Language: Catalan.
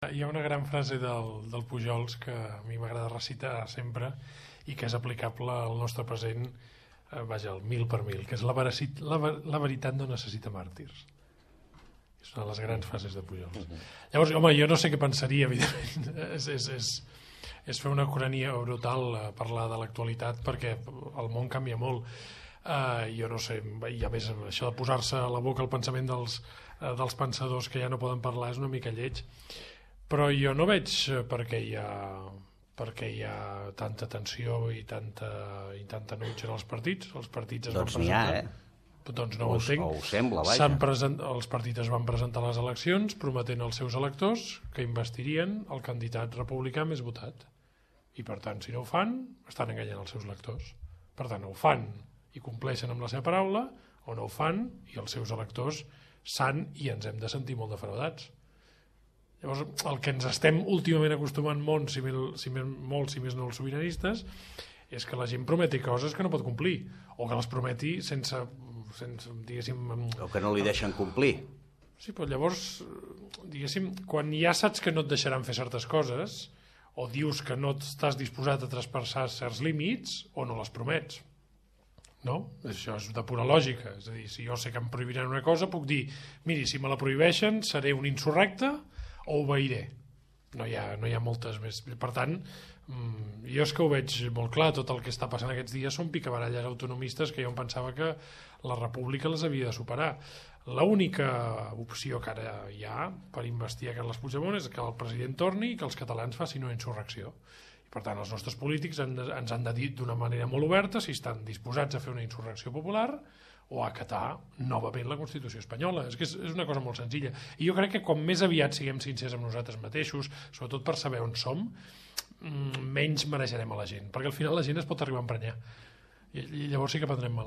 Hi ha una gran frase del Pujols que a mi m'agrada recitar sempre i que és aplicable al nostre present, vaja, al mil per mil, que és la veritat no necessita màrtirs. És una de les grans frases de Pujols. Llavors, home, jo no sé què pensaria, evidentment. És fer una cronia brutal parlar de l'actualitat perquè el món canvia molt. Jo no sé, i a més això de posar-se a la boca el pensament dels pensadors que ja no poden parlar és una mica lleig. Però jo no veig per què hi ha tanta tensió i tanta enuig en els partits. Els partits es van presentar... Doncs no ho entenc. O ho sembla, vaja. Els partits es van presentar a les eleccions prometent als seus electors que investirien el candidat republicà més votat. I per tant, si no ho fan, estan enganyant els seus electors. Per tant, o ho fan i compleixen amb la seva paraula, o no ho fan i els seus electors s'han i ens hem de sentir molt defraudats. Llavors, el que ens estem últimament acostumant molt, si més no els sobiranistes, és que la gent prometi coses que no pot complir, o que les prometi sense diguéssim... O que no li deixen complir. Sí, però llavors, diguéssim, quan ja saps que no et deixaran fer certes coses, o dius que no estàs disposat a traspassar certs límits, o no les promets. No? Això és de pura lògica. És a dir, si jo sé que em prohibiran una cosa, puc dir, miri, si me la prohibeixen, seré un insurrecte, o obeiré. No hi ha moltes més. Per tant, jo és que ho veig molt clar. Tot el que està passant aquests dies són picabaralles autonomistes que jo em pensava que la república les havia de superar. L'única opció que ara hi ha per investir a Carles Puigdemont és que el president torni i que els catalans facin una insurrecció. I per tant, els nostres polítics ens han de dir d'una manera molt oberta si estan disposats a fer una insurrecció popular o a acatar novament la Constitució espanyola. És que és una cosa molt senzilla. I jo crec que com més aviat siguem sincers amb nosaltres mateixos, sobretot per saber on som, menys mereixerem a la gent. Perquè al final la gent es pot arribar a emprenyar. I llavors sí que prendrem mal.